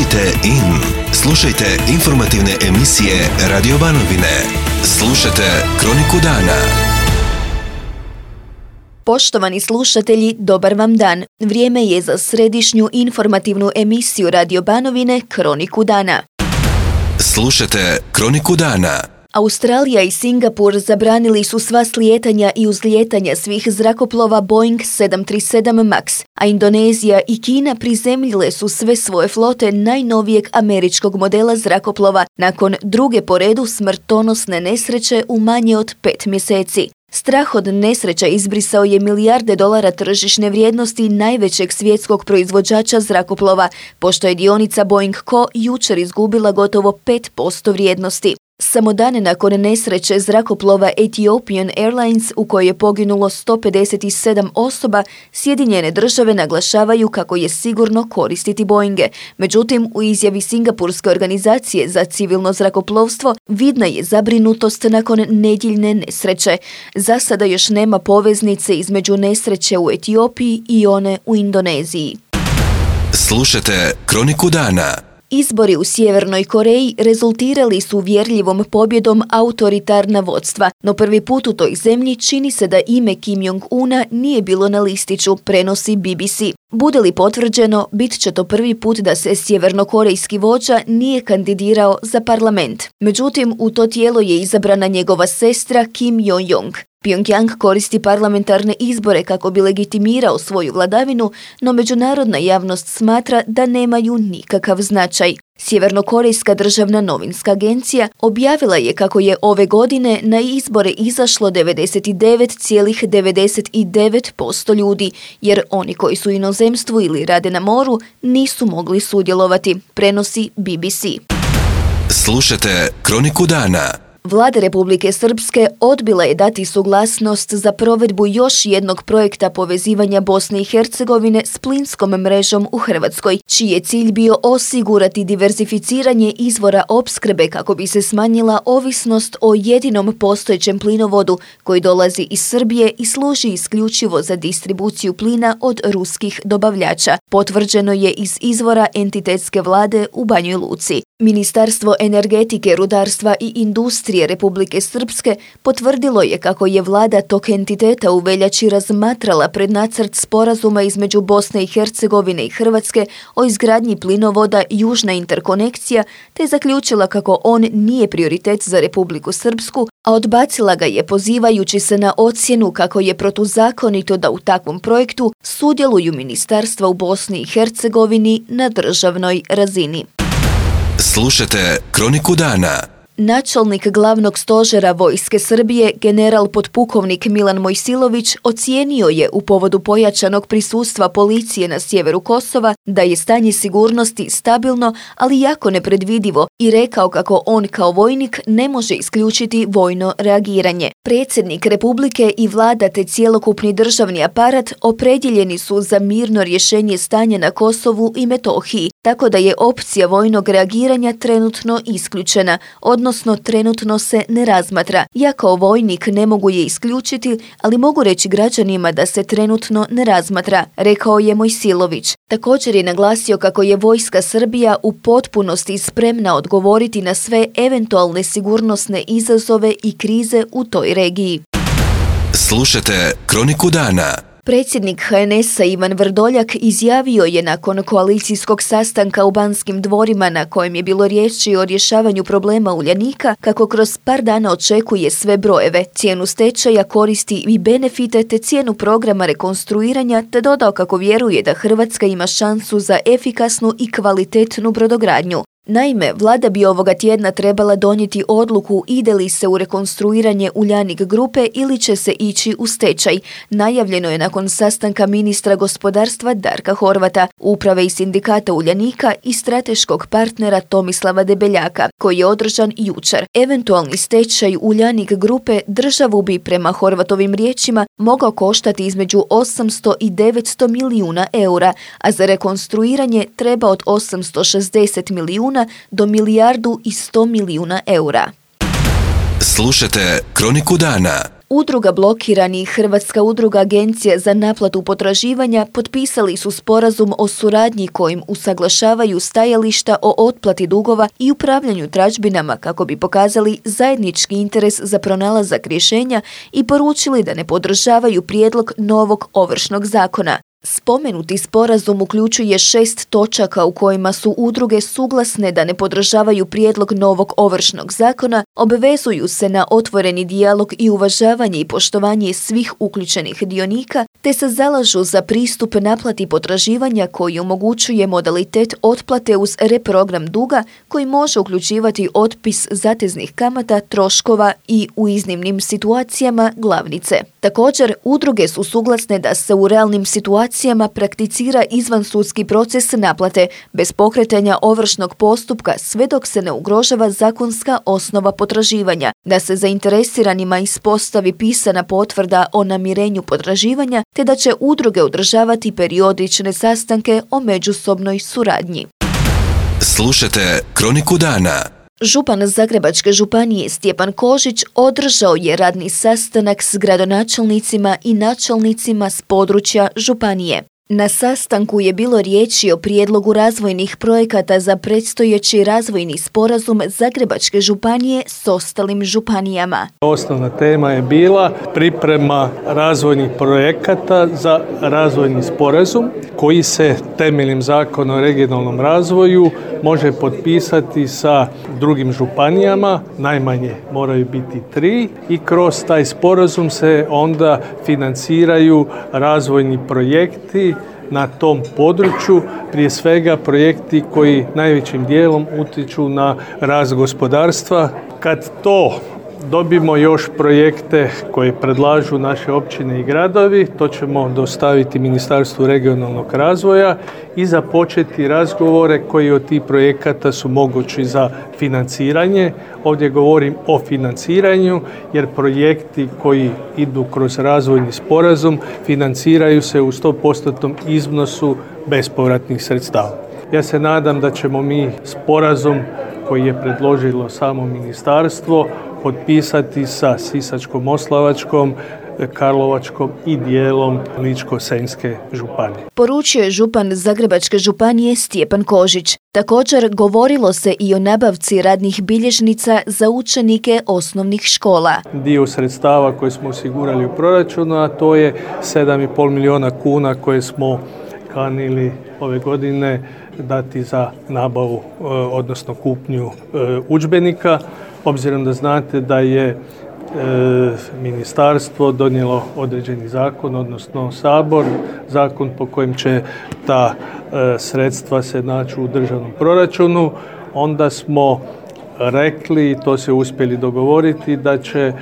Budite in. Slušajte informativne emisije Radio Banovine. Slušajte Kroniku dana. Poštovani slušatelji, dobar vam dan. Vrijeme je za središnju informativnu emisiju Radio Banovine Kroniku dana. Slušajte Kroniku dana. Australija i Singapur zabranili su sva slijetanja i uzlijetanja svih zrakoplova Boeing 737 MAX, a Indonezija i Kina prizemljile su sve svoje flote najnovijeg američkog modela zrakoplova nakon druge po redu smrtonosne nesreće u manje od 5 mjeseci. Strah od nesreća izbrisao je milijarde dolara tržišne vrijednosti najvećeg svjetskog proizvođača zrakoplova, pošto je dionica Boeing Co. jučer izgubila gotovo 5% vrijednosti. Samo dane nakon nesreće zrakoplova Ethiopian Airlines u kojoj je poginulo 157 osoba, Sjedinjene države naglašavaju kako je sigurno koristiti Boeinge. Međutim, u izjavi Singapurske organizacije za civilno zrakoplovstvo vidna je zabrinutost nakon nedjeljne nesreće. Za sada još nema poveznice između nesreće u Etiopiji i one u Indoneziji. Slušajte Kroniku dana. Izbori u Sjevernoj Koreji rezultirali su uvjerljivom pobjedom autoritarna vodstva, no prvi put u toj zemlji čini se da ime Kim Jong-una nije bilo na listiću, prenosi BBC. Bude li potvrđeno, bit će to prvi put da se sjevernokorejski vođa nije kandidirao za parlament. Međutim, u to tijelo je izabrana njegova sestra Kim Yo-jong. Pyongyang koristi parlamentarne izbore kako bi legitimirao svoju vladavinu, no međunarodna javnost smatra da nemaju nikakav značaj. Sjevernokorejska državna novinska agencija objavila je kako je ove godine na izbore izašlo 99,99% ljudi, jer oni koji su u inozemstvu ili rade na moru nisu mogli sudjelovati, prenosi BBC. Slušajte Kroniku dana. Vlada Republike Srpske odbila je dati suglasnost za provedbu još jednog projekta povezivanja Bosne i Hercegovine s plinskom mrežom u Hrvatskoj, čiji je cilj bio osigurati diverzificiranje izvora opskrbe kako bi se smanjila ovisnost o jedinom postojećem plinovodu koji dolazi iz Srbije i služi isključivo za distribuciju plina od ruskih dobavljača. Potvrđeno je iz izvora entitetske vlade u Banjoj Luci. Ministarstvo energetike, rudarstva i industrije Republike Srpske potvrdilo je kako je vlada tog entiteta u veljači razmatrala prednacrt sporazuma između Bosne i Hercegovine i Hrvatske o izgradnji plinovoda Južna interkonekcija, te zaključila kako on nije prioritet za Republiku Srpsku, a odbacila ga je pozivajući se na ocjenu kako je protuzakonito da u takvom projektu sudjeluju ministarstva u Bosni i Hercegovini na državnoj razini. Slušajte Kroniku dana. Načelnik glavnog stožera vojske Srbije, general potpukovnik Milan Mojsilović, ocijenio je u povodu pojačanog prisustva policije na sjeveru Kosova da je stanje sigurnosti stabilno, ali jako nepredvidivo i rekao kako on kao vojnik ne može isključiti vojno reagiranje. Predsjednik Republike i vlada te cjelokupni državni aparat opredjeljeni su za mirno rješenje stanja na Kosovu i Metohiji, tako da je opcija vojnog reagiranja trenutno isključena, odnosno trenutno se ne razmatra. Ja kao vojnik ne mogu je isključiti, ali mogu reći građanima da se trenutno ne razmatra, rekao je Mojsilović. Također je naglasio kako je vojska Srbija u potpunosti spremna odgovoriti na sve eventualne sigurnosne izazove i krize u toj regiji. Slušajte Kroniku dana. Predsjednik HNS-a Ivan Vrdoljak izjavio je nakon koalicijskog sastanka u Banskim dvorima na kojem je bilo riječi o rješavanju problema Uljanika kako kroz par dana očekuje sve brojeve, cijenu stečaja, koristi i benefite te cijenu programa rekonstruiranja, te dodao kako vjeruje da Hrvatska ima šansu za efikasnu i kvalitetnu brodogradnju. Naime, vlada bi ovoga tjedna trebala donijeti odluku ide li se u rekonstruiranje Uljanik grupe ili će se ići u stečaj. Najavljeno je nakon sastanka ministra gospodarstva Darka Horvata, uprave i sindikata Uljanika i strateškog partnera Tomislava Debeljaka, koji je održan jučer. Eventualni stečaj Uljanik grupe državu bi prema Horvatovim riječima mogao koštati između 800 i 900 milijuna eura, a za rekonstruiranje treba od 860 milijuna do 1,1 milijardu eura. Slušajte Kroniku dana. Udruga blokiranih, Hrvatska udruga agencija za naplatu potraživanja potpisali su sporazum o suradnji kojim usaglašavaju stajališta o otplati dugova i upravljanju tražbinama kako bi pokazali zajednički interes za pronalazak rješenja i poručili da ne podržavaju prijedlog novog Ovršnog zakona. Spomenuti sporazum uključuje 6 točaka u kojima su udruge suglasne da ne podržavaju prijedlog novog Ovršnog zakona, obvezuju se na otvoreni dijalog i uvažavanje i poštovanje svih uključenih dionika, te se zalažu za pristup naplati potraživanja koji omogućuje modalitet otplate uz reprogram duga koji može uključivati otpis zateznih kamata, troškova i u iznimnim situacijama glavnice. Također, udruge su suglasne da se u realnim situacijama prakticira izvansudski proces naplate bez pokretanja ovršnog postupka sve dok se ne ugrožava zakonska osnova potraživanja, da se zainteresiranima ispostavi pisana potvrda o namirenju potraživanja te da će udruge održavati periodične sastanke o međusobnoj suradnji. Slušajte Kroniku dana. Župan Zagrebačke županije Stjepan Kožić održao je radni sastanak s gradonačelnicima i načelnicima s područja županije. Na sastanku je bilo riječi o prijedlogu razvojnih projekata za predstojeći razvojni sporazum Zagrebačke županije s ostalim županijama. Osnovna tema je bila priprema razvojnih projekata za razvojni sporazum koji se temeljem Zakona o regionalnom razvoju može potpisati sa drugim županijama, najmanje moraju biti 3 i kroz taj sporazum se onda financiraju razvojni projekti na tom području, prije svega projekti koji najvećim dijelom utječu na rast gospodarstva. Kad to dobimo još projekte koje predlažu naše općine i gradovi, to ćemo dostaviti Ministarstvu regionalnog razvoja i započeti razgovore koji od tih projekata su mogući za financiranje. Ovdje govorim o financiranju jer projekti koji idu kroz razvojni sporazum financiraju se u 100% iznosu bespovratnih sredstava. Ja se nadam da ćemo mi sporazum koji je predložilo samo ministarstvo potpisati sa Sisačko-moslavačkom, Karlovačkom i dijelom Ličko-senjske županije. Poručio je župan Zagrebačke županije Stjepan Kožić. Također govorilo se i o nabavci radnih bilježnica za učenike osnovnih škola. Dio sredstava koje smo osigurali u proračunu, a to je 7,5 milijuna kuna koje smo kanili ove godine dati za nabavu, odnosno kupnju udžbenika. Obzirom da znate da je ministarstvo donijelo određeni zakon, odnosno Sabor, zakon po kojem će ta sredstva se naći u državnom proračunu, onda smo rekli, i to se uspjeli dogovoriti, da će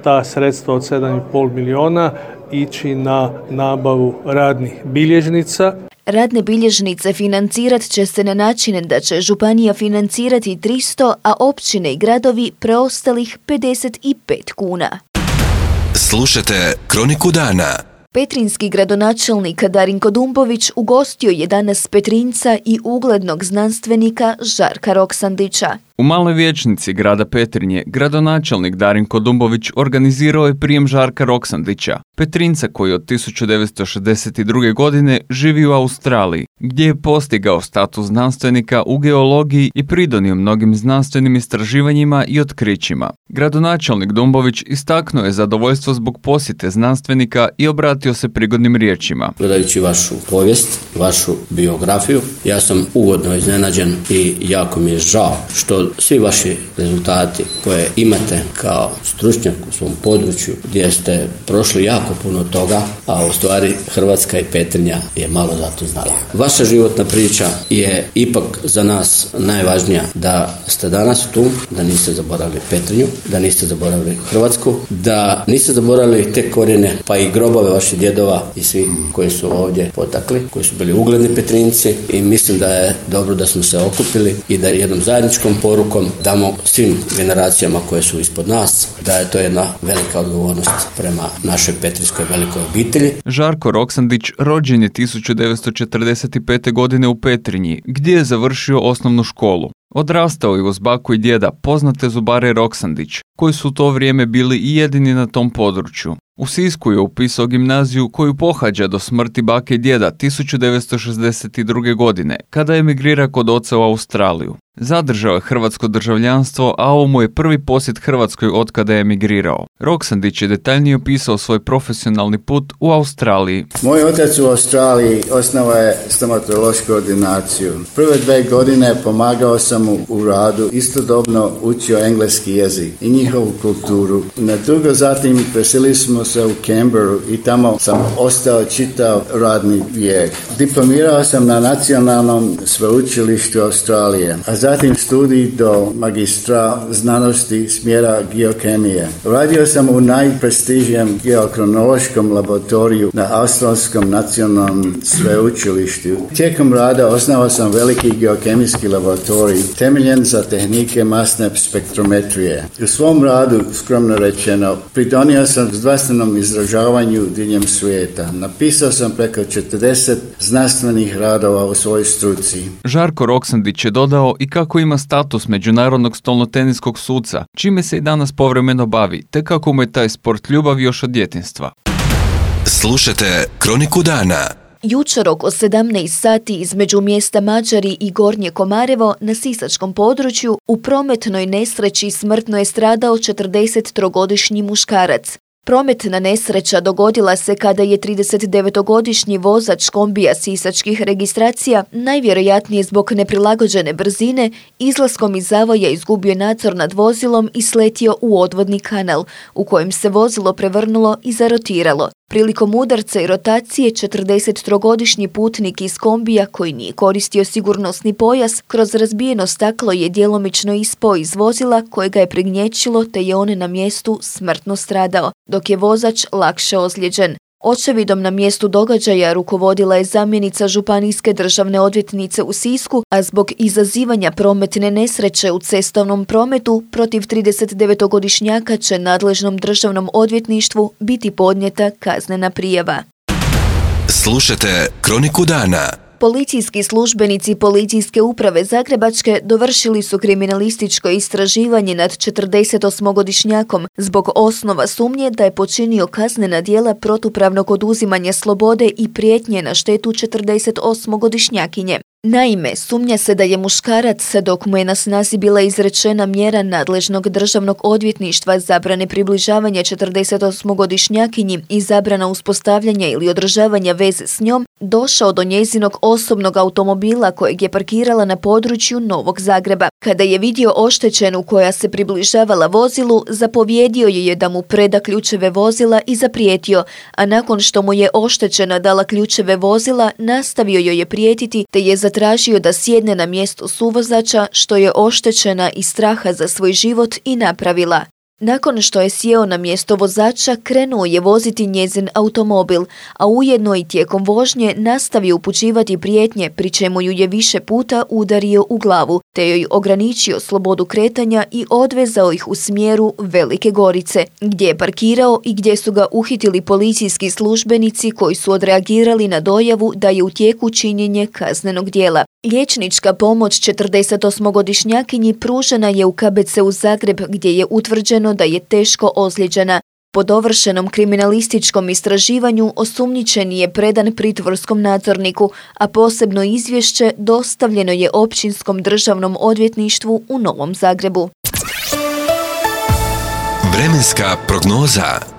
ta sredstva od 7,5 milijuna ići na nabavu radnih bilježnica. Radne bilježnice financirat će se na način da će županija financirati 300, a općine i gradovi preostalih 55 kuna. Slušajte Kroniku dana. Petrinjski gradonačelnik Darinko Dumbović ugostio je danas Petrinjca i uglednog znanstvenika Žarka Roksandića. U Maloj vijećnici grada Petrinje gradonačelnik Darinko Dumbović organizirao je prijem Žarka Roksandića, Petrinjca koji od 1962. godine živi u Australiji, gdje je postigao status znanstvenika u geologiji i pridonio mnogim znanstvenim istraživanjima i otkrićima. Gradonačelnik Dumbović istaknuo je zadovoljstvo zbog posjete znanstvenika i obratio se prigodnim riječima. Gledajući vašu povijest, vašu biografiju, ja sam ugodno iznenađen i jako mi je žao što svi vaši rezultati koje imate kao stručnjak u svom području, gdje ste prošli jako puno toga, a u stvari Hrvatska i Petrinja je malo za to znala. Vaša životna priča je ipak za nas najvažnija, da ste danas tu, da niste zaboravili Petrinju, da niste zaboravili Hrvatsku, da niste zaboravili te korijene, pa i grobove vaših djedova i svi koji su ovdje potakli, koji su bili ugledni Petrinjci, i mislim da je dobro da smo se okupili i da jednom zajedničkom porukom damo svim generacijama koje su ispod nas da je to jedna velika odgovornost prema našoj petrinjskoj velikoj obitelji. Žarko Roksandić rođen je 1945. godine u Petrinji, gdje je završio osnovnu školu. Odrastao je uz baku i djeda poznate zubare Roksandić, koji su u to vrijeme bili i jedini na tom području. U Sisku je upisao gimnaziju koju pohađa do smrti bake i djeda 1962. godine, kada emigrira kod oca u Australiju. Zadržao je hrvatsko državljanstvo, a ovo mu je prvi posjet Hrvatskoj od kada je emigrirao. Roksandić je detaljnije opisao svoj profesionalni put u Australiji. Moj otac u Australiji osnovao je stomatološku ordinaciju. Prve 2 godine pomagao sam mu u radu, istodobno učio engleski jezik i njihovu kulturu. Na dugo zatim preselili smo se u Canberru i tamo sam ostao čitav radni vijek. Diplomirao sam na Nacionalnom sveučilištu Australije, a zatim studij do magistra znanosti smjera geokemije. Radio sam u najprestižnijem geokronološkom laboratoriju na Australskom nacionalnom sveučilištu. Tijekom rada osnovao sam veliki geokemijski laboratorij temeljen za tehnike masne spektrometrije. U svom radu, skromno rečeno, pridonio sam zdravstvenom izražavanju diljem svijeta. Napisao sam preko 40 znanstvenih radova u svojoj struci. Žarko Roksandić je dodao i kako ima status međunarodnog stolnoteniskog suca, čime se i danas povremeno bavi, te kako mu je taj sport ljubav još od djetinjstva. Slušajte Kroniku dana. Jučer oko 17 sati između mjesta Mađari i Gornje Komarevo na sisačkom području u prometnoj nesreći smrtno je stradao 43-godišnji muškarac. Prometna nesreća dogodila se kada je 39-godišnji vozač kombija sisačkih registracija, najvjerojatnije zbog neprilagođene brzine, izlaskom iz zavoja izgubio nadzor nad vozilom i sletio u odvodni kanal, u kojem se vozilo prevrnulo i zarotiralo. Prilikom udarca i rotacije 43-godišnji putnik iz kombija koji nije koristio sigurnosni pojas kroz razbijeno staklo je djelomično ispao iz vozila koje ga je prignječilo te je on na mjestu smrtno stradao, dok je vozač lakše ozlijeđen. Očevidom na mjestu događaja rukovodila je zamjenica županijske državne odvjetnice u Sisku, a zbog izazivanja prometne nesreće u cestovnom prometu protiv 39-godišnjaka će nadležnom državnom odvjetništvu biti podnijeta kaznena prijava. Slušajte Kroniku dana. Policijski službenici Policijske uprave Zagrebačke dovršili su kriminalističko istraživanje nad 48-godišnjakom zbog osnova sumnje da je počinio kaznena djela protupravnog oduzimanja slobode i prijetnje na štetu 48-godišnjakinje. Naime, sumnja se da je muškarac, dok mu je na snazi bila izrečena mjera nadležnog državnog odvjetništva zabrane približavanja 48-godišnjakinji i zabrana uspostavljanja ili održavanja veze s njom, došao do njezinog osobnog automobila kojeg je parkirala na području Novog Zagreba. Kada je vidio oštećenu koja se približavala vozilu, zapovjedio je da mu preda ključeve vozila i zaprijetio, a nakon što mu je oštećena dala ključeve vozila, nastavio joj je prijetiti te je zatražio da sjedne na mjesto suvozača, što je oštećena iz straha za svoj život i napravila. Nakon što je sjeo na mjesto vozača, krenuo je voziti njezin automobil, a ujedno i tijekom vožnje nastavio upućivati prijetnje, pri čemu ju je više puta udario u glavu, te joj ograničio slobodu kretanja i odvezao ih u smjeru Velike Gorice, gdje je parkirao i gdje su ga uhitili policijski službenici koji su odreagirali na dojavu da je u tijeku činjenje kaznenog djela. Liječnička pomoć 48-godišnjakinji pružena je u KBC-u Zagreb, gdje je utvrđeno da je teško ozlijeđena. Po dovršenom kriminalističkom istraživanju osumnjičeni je predan pritvorskom nadzorniku, a posebno izvješće dostavljeno je Općinskom državnom odvjetništvu u Novom Zagrebu. Vremenska prognoza.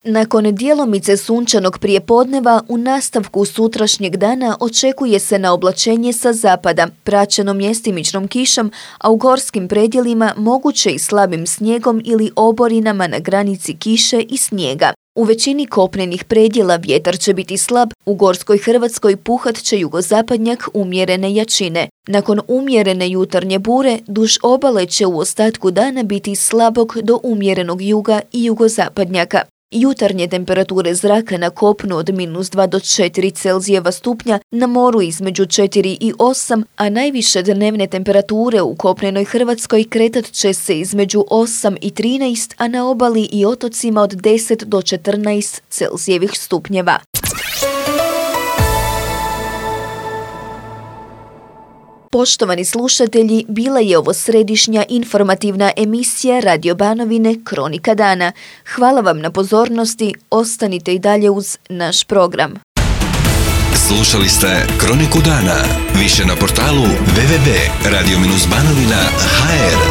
Nakon djelomice sunčanog prijepodneva, u nastavku sutrašnjeg dana očekuje se na oblačenje sa zapada, praćeno mjestimičnom kišom, a u gorskim predjelima moguće i slabim snijegom ili oborinama na granici kiše i snijega. U većini kopnenih predjela vjetar će biti slab, u gorskoj Hrvatskoj puhat će jugozapadnjak umjerene jačine. Nakon umjerene jutarnje bure, duž obale će u ostatku dana biti slabog do umjerenog juga i jugozapadnjaka. Jutarnje temperature zraka na kopnu od -2 do 4 Celzijeva stupnja, na moru između 4 i 8, a najviše dnevne temperature u kopnenoj Hrvatskoj kretat će se između 8 i 13, a na obali i otocima od 10 do 14 Celzijevih stupnjeva. Poštovani slušatelji, bila je ovo središnja informativna emisija Radio Banovine Kronika dana. Hvala vam na pozornosti, ostanite i dalje uz naš program. Slušali ste Kroniku dana. Više na portalu www.radio-banovina.hr.